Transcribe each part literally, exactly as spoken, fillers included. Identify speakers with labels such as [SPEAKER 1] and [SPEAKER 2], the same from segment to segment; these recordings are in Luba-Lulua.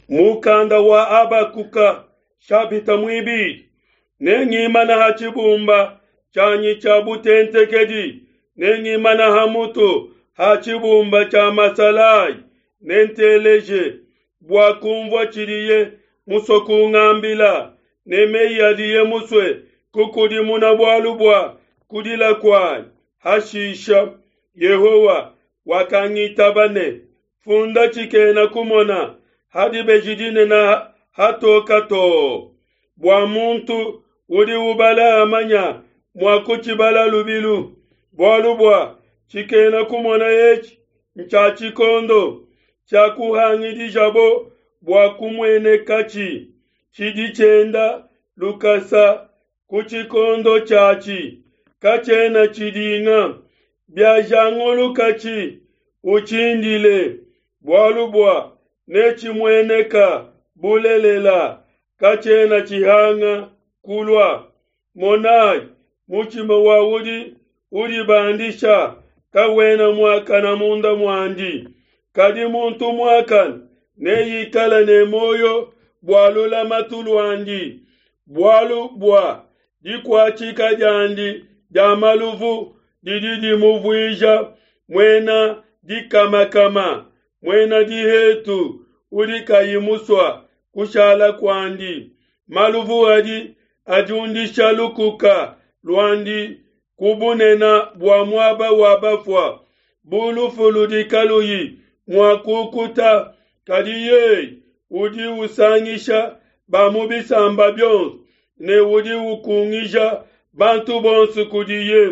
[SPEAKER 1] Mukanda wa Habakuka shapita muibidi. Nengimana ha tshibumba tshianyi tshia butentekedi, nengimana ha mutu ha tshibumba tshia masalayi, nenteleje bua kumvua tshidiye musue kungambila, ne meyi adiye musue kukudimuna bualu bua kudila kuanyi. Hashisha Yehowa wakangitaba ne, Funda tshikena kumona ha dibeji dinene hatoka too, bua muntu udi ubala amanya mua kutshibala lubilu. Bualu bua tshikena kumona etshi ntshia tshikondo tshiakuhangidijabo bua kumuenekatshi, tshidi tshienda lukasa ku tshikondo tshiatshi, katshiena tshidinga. Biajangulukatshi, utshindile, bualu bua netshimueneka bulelela, katshiena tshihanga kulua. Monai, mutshima wa udi udibandisha kawena muakane munda muandi, kadi muntu muakane neikale ne muoyo bua lulamatu luandi. Bualu bua dikuatshika diandi dia maluvu didi dimuvuija muena dikamakama, muena dihetu udi kayi musua kushala kuandi. Maluvu adi adiundisha lukuka luandi ku bunene bua muaba wa bafua, bu lufu ludi kaluyi mua kukuta. Kadi yeye udi usangisha ba mu bisamba bionso ne udi ukungija bantu bonso kudiye.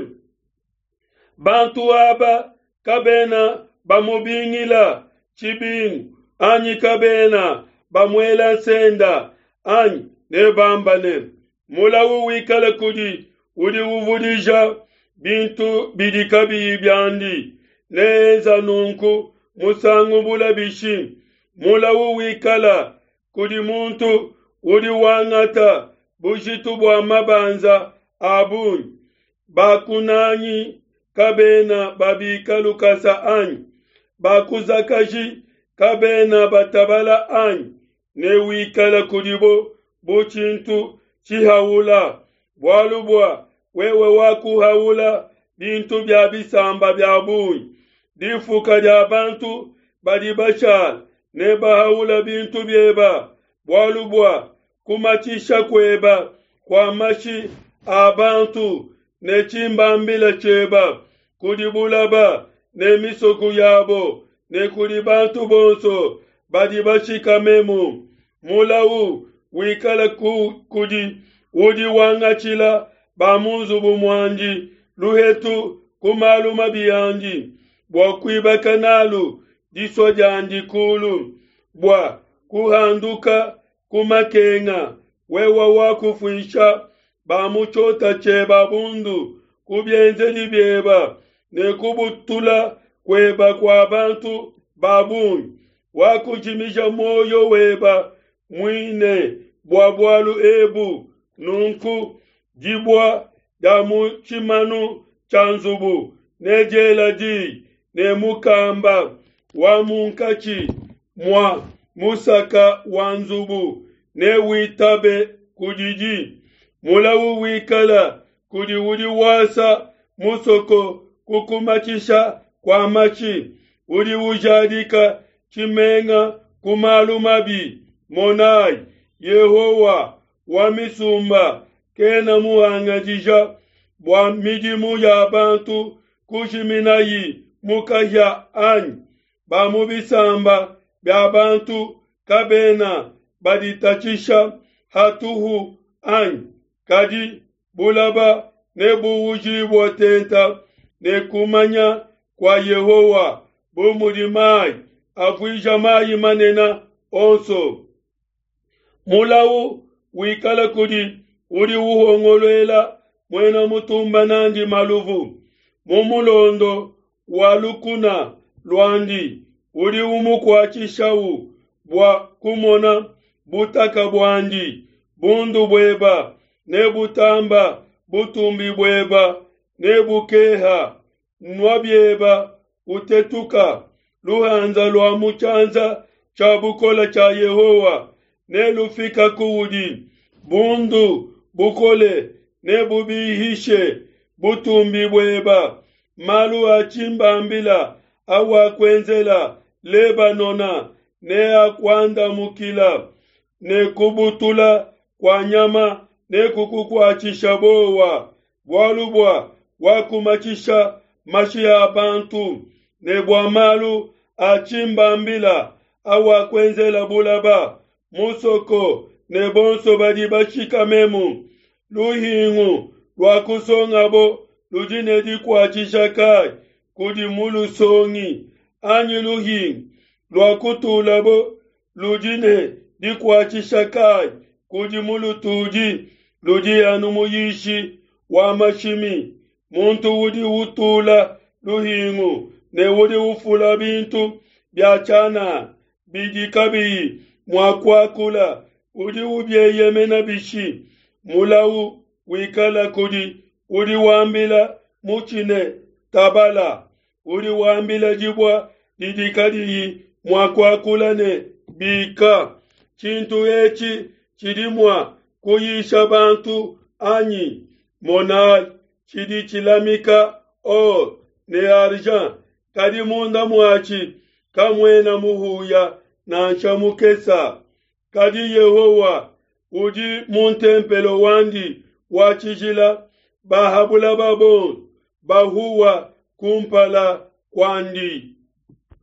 [SPEAKER 1] Bantu aba kabena bamubingila tshibingu, anyi kabena bamuela nsenda, anyi nebamba ne, Mulawu wikale kudi udi uvudija bintu bidi kabiyi biandi, neenza nunku musangu bule bishi? Mulawu wikala kudi muntu udi wangata bujitu bua mabanza a bungi. Bakunangi kabena babika lukasa anyi? Bakuzakaji kabena batabala anyi? Newikale kudibo bu tshintu tshihaula, bualu bua wewe wakuhaula bintu bia bisamba bia bungi. Difuka dia bantu badi bashala nebahaula bintu bieba, bualu bua kumatshisha kueba kua mashi a bantu ne tshimbambila tshieba kudi bulaba ne misoko yabo ne kudi bantu bonso badi bashikamemu. Mulau wikale ku, kudi udi wangatshila ba mu nzubu muandi luhetu ku malu mabi andi, bua kuibaka nalu disua diandi kulu, bua kuhanduka ku makenga. Wewe wakufuisha ba mu tshiota tshieba bundu ku bienzedi bieba ne kubutula kueba kua bantu ba bungi. Wakujimija muoyo weba muine bua bualu ebu. Nunku dibua dia mu tshimanu tshia nzubu nediela diyi, ne mukamba wa munkatshi mua musaka wa nzubu newitabe kudidi. Mulawu wikala kudi udi wasa musoko ku kumatshisha kua mashi, udi ujadika tshimenga ku malu mabi. Monai, Yehowa wa misumba kena muhangadija bua midimu ya bantu kujiminayi mu kahia anyi? Ba mu bisamba bia bantu kabena baditatshisha hatuhu anyi? Kadi bulaba nebuujibue tenta ne kumanya kua Yehowa, bu mudi mai avuija mai manene onso. Mulau wikala kudi udi uhongoluela muena mutumba nandi maluvu mu mulondo wa lukuna luandi, udi umukuatshishau bua kumona butaka buandi. Bundu bueba nebutamba butumbi bueba nebukeha. Nua bieba utetuka luhanza lua mu tshianza tshia bukole tshia Yehowa nelufika kuudi, bundu bukole nebubihishe butumbi bueba. Malu a tshimbambila awakuenzela Lebanona neakuandamukila, ne kubutula kua nyama nekukukuatshisha bowa, bualu bua wakumatshisha mashi a bantu, ne bua malu a tshimbambila awakuenzela bulaba, musoko ne bonso badi bashikamemu. Luhingu luakusongabo ludi ne dikuatshisha kai kudi mulusongi, anyi luhingu luakutulabo ludi ne dikuatshisha kai kudi mulutudi? Ludi anu muyishi wa mashimi. Muntu udi utula luhingu ne udi ufula bintu bia tshianana bidi kabiyi mua kuakula, udi ubieyemena bishi? Mulau wikala kudi udi wambila mutshi ne, Tabala! Udi wambila dibua didi kadiyi mua kuakula ne, Bika! Tshintu etshi tshidi mua kuyisha bantu anyi? Monai, tshidi tshilamika or ne argent, kadi munda muatshi kamuena muhuya nansha mukesa. Kadi Yehowa udi mu ntempelo wandi wa tshijila, ba ha bulaba bonso bahuwa kumpala kuandi.